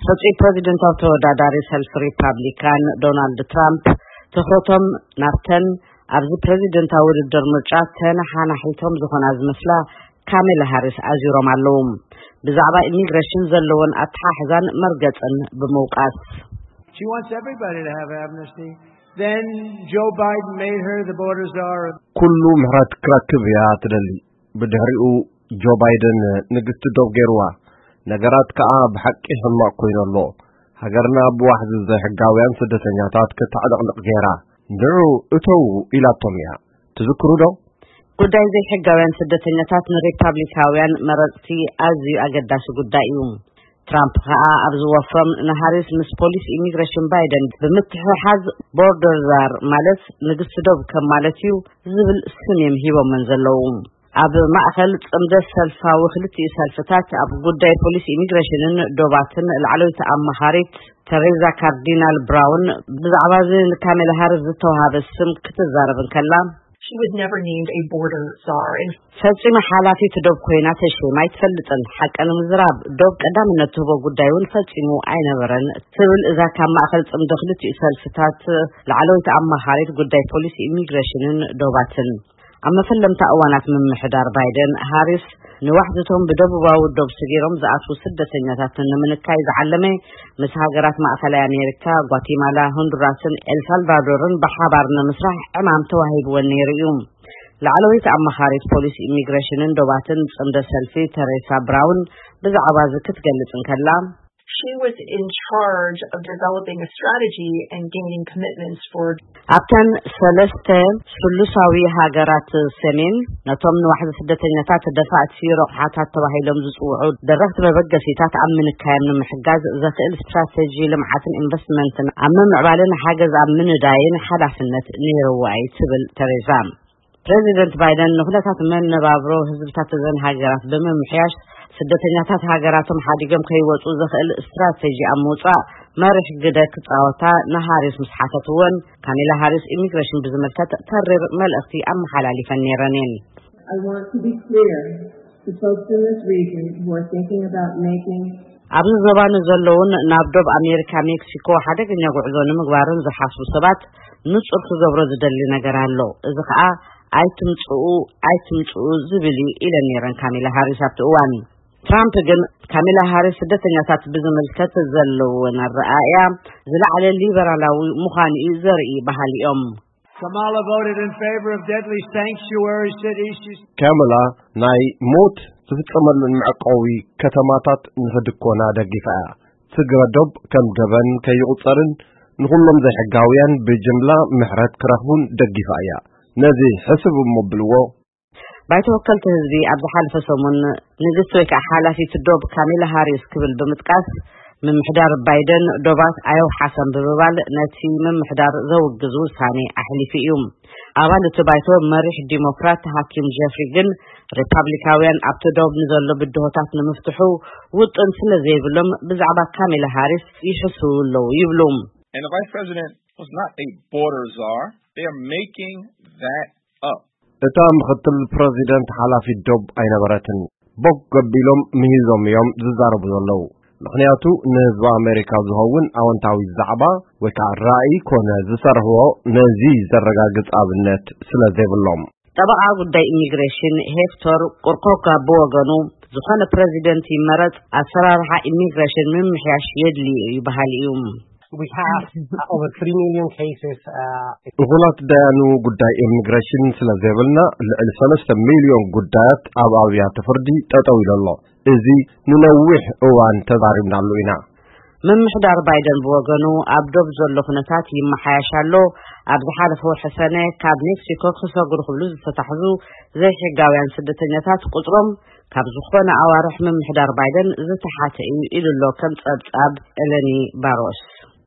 ሕጹይ ፕረዚደንታዊ ተወዳዳሪ ሰልፊ ሪፓብሊካን ዶናልድ ትራምፕ ትኹረቶም ናብተን ኣብዚ ፕረዚደንታዊ ውድድር ምርጫ ተነሓናሒቶም ዝኾና ዝመስላ ካሜላ ሃሪስ ኣዚሮም ኣለዉ። ብዛዕባ ኢሚግሬሽን ዘለዎን ኣተሓሕዛን መርገጽን ብምውቃስ። She wants everybody to have amnesty. Then Joe Biden made her the border czar. ኩሉ ምሕረት ክረክብ እያ ትደሊ። ብድሕሪኡ ጆ ባይደን ንግስቲ ዶብ ገይርዋ። ነገራት ከኣ ብሓቂ ሕማቕ ኮይኑ ኣሎ። ሃገርና ብዋሕዚ ዘይሕጋውያን ስደተኛታት ክተዕለቕልቕ ገይራ። ንዑ እተዉ ኢላቶም እያ። ትዝክሩ ዶ? ጉዳይ ዘይሕጋውያን ስደተኛታት ንሪፓብሊካውያን መረጽቲ ኣዝዩ ኣገዳሲ ጉዳይ እዩ። ትራምፕ ከኣ ኣብ ዝወፍሮም ንሃሪስ ምስ ፖሊስ ኢሚግሬሽን ባይደን ብምትሕሓዝ ቦርደር ዛር ማለት ንግስቲ ዶብ ከም ማለት እዩ ዝብል ስም እዮም ሂቦመን ዘለዉ። ኣብ ማእኸል ጽምደት ሰልፋዊ ክልቲኡ ሰልፍታት ኣብ ጉዳይ ፖሊስ ኢሚግሬሽንን ዶባትን ላዕለወይቲ ኣማኻሪት ተሬዛ ካርዲናል ብራውን ብዛዕባ እዚ ንካሜላ ሃሪስ ዝተዋሃበ ስም ክትዛረብ እንከላ She was never named a border czar. And ፈጺመ ሓላፊት ዶብ ኮይና ተሸይማ ኣይትፈልጥን። ሓቂ ንምዝራብ ዶብ ቀዳምነት ትህቦ ጉዳይ እውን ፈጺሙ ኣይነበረን ትብል እዛ ካብ ማእኸል ጽምዶ ክልቲኡ ሰልፍታት ላዕለወይቲ ኣማኻሪት ጉዳይ ፖሊስ ኢሚግሬሽንን ዶባትን። ኣብ መፈለምታ እዋናት ምምሕዳር ባይደን ሃሪስ ንዋሕዝቶም ብደቡባዊ ዶብ ስጊሮም ዝኣትዉ ስደተኛታት ንምንካይ ዝዓለመ ምስ ሃገራት ማእኸላይ ኣሜሪካ፣ ጓቲማላ፣ ሆንዱራስን ኤልሳልቫዶርን ብሓባር ንምስራሕ ዕማም ተዋሂብወን ነይሩ እዩ። ላዕለወይቲ ኣማኻሪት ፖሊስ ኢሚግሬሽንን ዶባትን ጽምዶ ሰልፊ ተሬሳ ብራውን ብዛዕባ እዚ ክትገልጽ እንከላ she was in charge of developing a strategy and gaining commitments for ኣብተን ሰለስተ ስሉሳዊ ሃገራት ሰሜን ነቶም ንዋሕዚ ስደተኛታት ደፋእቲ ረቑሓታት ተባሂሎም ዝጽውዑ ደረኽቲ መበገሲታት ኣብ ምንካዮም ንምሕጋዝ ዘኽእል ስትራተጂ ልምዓትን ኢንቨስትመንትን ኣብ ምምዕባልን ሓገዝ ኣብ ምንዳይን ሓላፍነት ነይርዋ እዩ ትብል ተሬዛ። ፕሬዚደንት ባይደን ንኩነታት መነባብሮ ህዝብታት እዘን ሃገራት ብምምሕያሽ ስደተኛታት ሃገራቶም ሓዲጎም ከይወፁ ዘኽእል ስትራተጂ ኣብ ምውፃእ መሪሕ ግደ ክፃወታ ንሃሪስ ምስ ሓተትወን ካሜላ ሃሪስ ኢሚግሬሽን ብዝምልከት ተሪር መልእኽቲ ኣመሓላሊፈን ነይረን እየን። I want to be clear to folks in this region who are thinking about making ኣብዚ ዞባ ንዘለውን ናብ ዶብ ኣሜሪካ ሜክሲኮ ሓደገኛ ጉዕዞ ንምግባርን ዝሓስቡ ሰባት ንጹር ክገብሮ ዝደሊ ነገር ኣሎ። እዚ ኸኣ ኣይትምጽኡ ኣይትምጽኡ ዝብል እዩ ኢለን ነይረን ካሜላ ሃሪስ ኣብቲ እዋን። ትራምፕ ግን ካሜላ ሃሪስ ስደተኛታት ብዝምልከት ዘለወን ኣረኣእያ ዝለዓለ ሊበራላዊ ምዃኑ እዩ ዘርኢ በሃሊ እዮም። Kamala voted in favor of deadly sanctuary cities. She's ካመላ ናይ ሞት ዝፍጸመለን መዕቆቢ ከተማታት ንኽድኮና ደጊፋ እያ። ስግረ ዶብ ከም ገበን ከይቑጸርን ንኹሎም ዘይሕጋውያን ብጅምላ ምሕረት ክረኽቡን ደጊፋ እያ። ነዚ ሕስብ እሞ ብልዎ። ባይቶ ወከልቲ ህዝቢ ኣብ ዝሓለፈ ሰሙን ንግስቲ ወይ ከዓ ሓላፊት ዶብ ካሜላ ሃሪስ ክብል ብምጥቃስ ምምሕዳር ባይደን ዶባት ኣየውሓሰን ብምባል ነቲ ምምሕዳር ዘውግዝ ውሳኔ ኣሕሊፉ እዩ። ኣባል እቲ ባይቶ መሪሕ ዲሞክራት ሃኪም ጀፍሪ ግን ሪፓብሊካውያን ኣብቲ ዶብ ንዘሎ ብድሆታት ንምፍትሑ ውጥን ስለ ዘይብሎም ብዛዕባ ካሜላ ሃሪስ ይሕስው ኣለዉ ይብሉ። And the vice president was not a border czar. They are making that up. እታ ምኽትል ፕረዚደንት ሓላፊት ዶብ ኣይነበረትን። ቦግ ገቢሎም ምሂዞም እዮም ዝዛረቡ ዘለዉ። ምኽንያቱ ንህዝቢ ኣሜሪካ ዝኸውን ኣወንታዊ ዛዕባ ወይ ከዓ ራእይ ኮነ ዝሰርሕዎ ነዚ ዘረጋግጽ ኣብነት ስለ ዘይብሎም። ጠበቓ ጉዳይ ኢሚግሬሽን ሄክቶር ቁርኮካ ብወገኑ ዝኾነ ፕረዚደንት ይመረጽ ኣሰራርሓ ኢሚግሬሽን ምምሕያሽ የድልዩ እዩ በሃሊ እዩ። We have uh, over three million cases. Uh, እኹላት ዳያኑ ጉዳይ ኢሚግሬሽን ስለ ዘይብልና ልዕሊ ሰለስተ ሚልዮን ጉዳያት ኣብ ኣብያተ ፍርዲ ጠጠው ኢሉ ኣሎ። እዚ ንነዊሕ እዋን ተዛሪብናሉ ኢና። ምምሕዳር ባይደን ብወገኑ ኣብ ዶብ ዘሎ ኩነታት ይመሓያሽ ኣሎ። ኣብ ዝሓለፈ ወርሒ ሰነ ካብ ሜክሲኮ ክሰግሩ ክብሉ ዝተታሕዙ ዘይሕጋውያን ስደተኛታት ቁፅሮም ካብ ዝኾነ ኣዋርሕ ምምሕዳር ባይደን ዝተሓተ እዩ ኢሉ ኣሎ ከም ጸብጻብ ኤለኒ ባሮስ።